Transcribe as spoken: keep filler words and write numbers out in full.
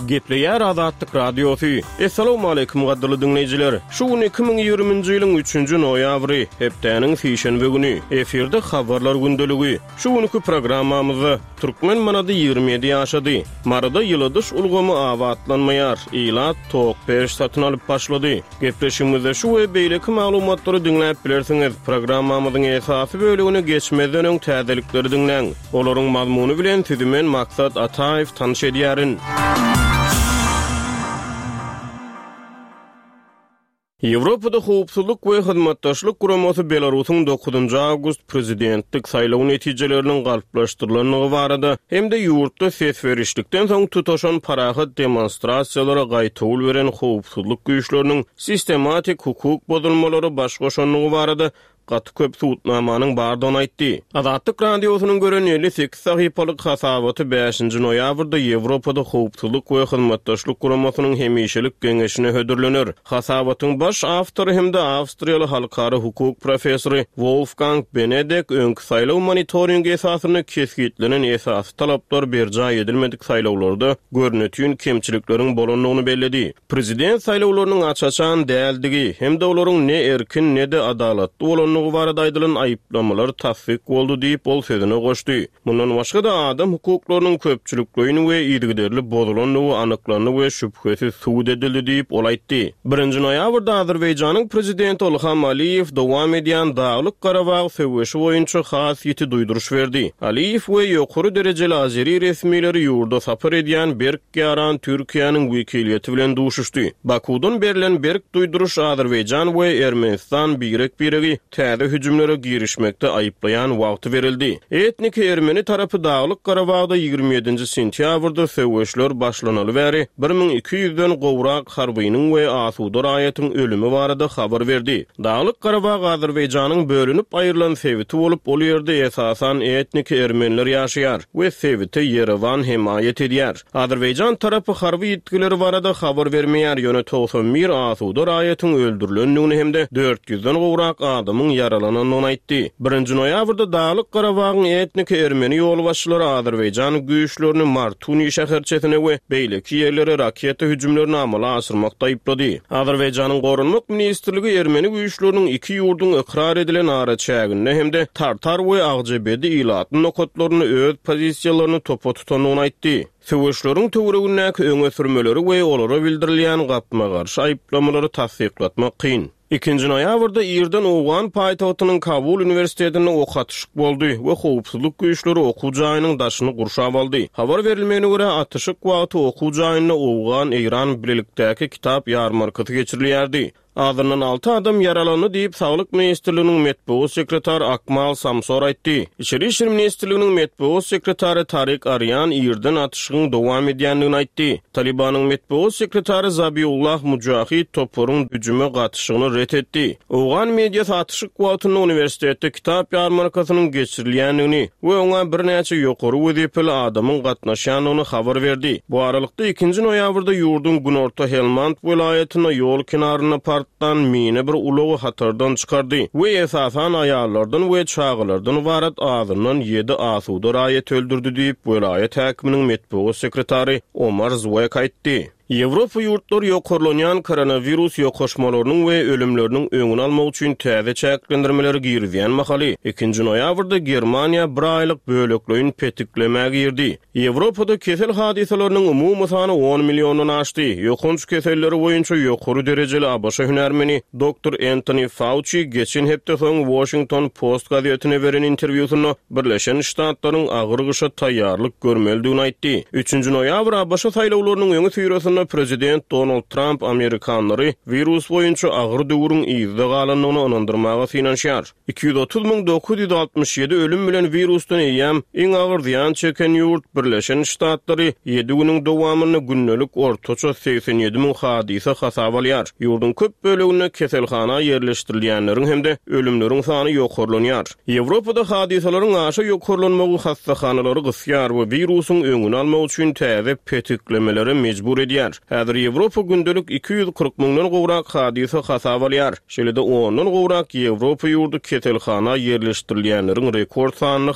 Gepleýär Azatlyk Radiosy. Essalawmaleýkim gadyrly diňleýjiler. Şu gün iki müň ýigriminji ýylyň üçünji noýabry, hepdäniň sişenbe güni. Efirde Habarlar gündeligi. Şu günki programmamyzda türkmen manady ýigrimi ýedi ýaşady. Maryda ýyladyş ulgamy abatlanmaýar, ilat tok peç satyn alyp başlady. Gepleşigimizde şu we beýleki maglumatlary diňläp bilersiňiz. Programmamyzyň esasy bölegine geçmezden öň täzelikleri diňläň. Olaryň mazmuny bilen sizi men Maksat Ataýew tanyş edýärin. Ýewropada Howpsuzlyk we Hyzmatdaşlyk Guramasy Belarusyň dokuzynjy awgust prezidentlik saýlaw netijeleriniň galplaşdyrylandygy barada hem-de ýurtda ses berişlikden soň tutaşan parahat demonstrasiýalara gaýtawul beren howpsuzlyk güýçleriniň sistematik hukuk bozulmalary baş goşandygy barada gaty köp subutnamanyň bardygyny aýtdy. Azatlyk Radiosynyň gören elli sekiz sahypalyk hasabaty bäşinji noýabrda Ýewropada Howpsuzlyk we Hyzmatdaşlyk Guramasynyň hemişelik geňeşine hödürlener. Hasabatyň baş awtory hem-de awstriýaly halkara hukuk professory Wolfgang Benedek öňki saýlaw monitoringi esasynda kesgitlenen esasy talaplar berjaý edilmedik saýlawlarda görnetin kemçilikleriň bolandygyny belledi. Prezident saýlawlarynyň aç-açan däldigi hem-de olaryň ne erkin, ne-de adalatly bolandygy barada aýdylan aýyplamalar tassyk boldy diýip, ol sözüne goşdy. Mundan başga-da, adam hukuklarynyň köpçülikleýin we yzygiderli bozulandygy anyklandy we şübhesiz subut edildi diýip, ol aýtdy. Birinji noýabrda Azerbaýjanyň prezidenti Ilham Aliýew dowam edýän Daglyk-Garabag söweşi boýunça has ýiti duýduryş berdi. Aliýew we ýokary derejeli azeri resmileri ýurda sapar edýän berk ýaran Türkiýäniň wekiliýeti bilen duşuşdy. Bakuwdan berlen berk duýduryş Azerbaýjan we Ermenistan birek-biregi täze hüjümlere girişmekde aýyplaýan wagty berildi. Etniki ermeni tarapy Daglyk-Garabagda ýigrimi ýedinji sentýabrda söweşler başlanaly bäri bir müň iki ýüzden gowrak harbynyň we asuda raýatyň ölümi barada habar berdi. Daglyk-Garabag Azerbaýjanyň bölünip aýrylan sebiti bolup, ol ýerde esasan etniki ermeniler ýaşaýar we sebite Ýerewan hemaýat edýär. Azerbaýjan tarapy harby ýitgileri barada habar bermeýär, ýöne togsan bir asuda raýatyň öldürilendigini hem-de dört ýüzden gowrak adamyň ýaralanandygyny aýtdy. Birinji noýabrda Daglyk-Garabagyň etniki ermeni ýolbaşçylary Azerbaýjan güýçlerini Martuni şäherçesine we beýleki ýerlere raketa hüjümlerini amala aşyrmakda aýyplady. Azerbaýjanyň Goranmak ministrligi ermeni güýçleriniň iki ýurduň ykrar edilen araçäginde hem-de Tartar we Agjabedi ilatly nokatlarynda öz pozisiýalaryny topa tutandygyny aýtdy. Söweşleriň töweregindäki öňe sürmeleri we olara bildirilýän gapma-garşy aýyplamalary tassyklatmak kyn. Ikinji noýabrda irden owgan paýtagtynyň Kabul uniwersitetinde ok atyşyk boldy we howpsuzlyk güýçleri okuw jaýynyň daşyny gurşap aldy. Habar berilmegine görä, atyşyk wagty okuw jaýynda owgan-eýran bilelikdäki kitap ýarmarkasy geçirilýärdi. Azyndan alty adam ýaralandy diýip, Saglyk ministrliginiň metbugat sekretary Akmal Samsor aýtdy. Içeri işler ministrliginiň metbugat sekretary Tarik Arýan irden atyşygyň dowam edýändigini aýtdy. Talybanyň metbugat sekretary Zabiullah Mujahid toparyň hüjüme gatyşygyny ret etdi. Owgan mediasy atyşyk wagtynda uniwersitetde kitap ýarmarkasynyň geçirilýändigini we oňa birnäçe ýokary wezipeli adamyň gatnaşýandygyny habar berdi. Bu aralykda, ikinji noýabrda ýurduň günorta Helmand welaýatynda ýol kenarynda partlan mina bir ulagy hatardan çykardy we esasan aýallardan we çagalardan ybarat azyndan ýedi asuda raýaty öldürdi diýip, welaýat häkiminiň metbugat sekretary Omar Zwek aýtdy. Ýewropa ýurtlary ýokarlanýan koronawirus ýokaşmalarynyň we ölümleriniň öňüni almak üçin täze çäklendirmeleri girizýän mahaly, ikinji noýabrda Germaniýa bir aýlyk bölekleýin petiklemä girdi. Ýewropada kesel hadysalarynyň umumy sany on milliondan aşdy. Ýokanç keselleri boýunça ýokary derejeli ABŞ hünärmeni doktor Entoni Fauçi geçen hepde soň Washington Post gazetine beren interwýusynda Birleşen Ştatlaryň agyr gyşa taýýarlyk görmelidigini aýtdy. Üçünji noýabr ABŞ saýlawlarynyň öňüsyrasynda prezident Donald Tramp amerikanlary wirus boýunça agyr döwrüň yzda galandygyna ynandyrmaga synanyşýar. Iki ýüz otuz müň dokuz ýüz altmyş ýedi ölüm bilen wirusdan eýýäm iň agyr zyýan çeken ýurt Birleşen Ştatlary ýedi günüň dowamynda gündelik ortaça segsen ýedi müň hadysa hasaba alýar. Ýurduň köp böleginde keselhana ýerleşdirilýänleriň hem-de ölümleriň sany ýokarlanýar. Ýewropada hadysalaryň aşa ýokarlanmagy hassahanalary gysýar we wirusyň öňüni almak üçin täze petiklemelere mejbur edýär. Häzir Ýewropa gündelik iki ýüz kyrk müňden gowrak hadysa hasaba alýar. Şeýle-de ondan gowrak Ýewropa ýurdy keselhana ýerleşdirilýänleriň rekord sanyny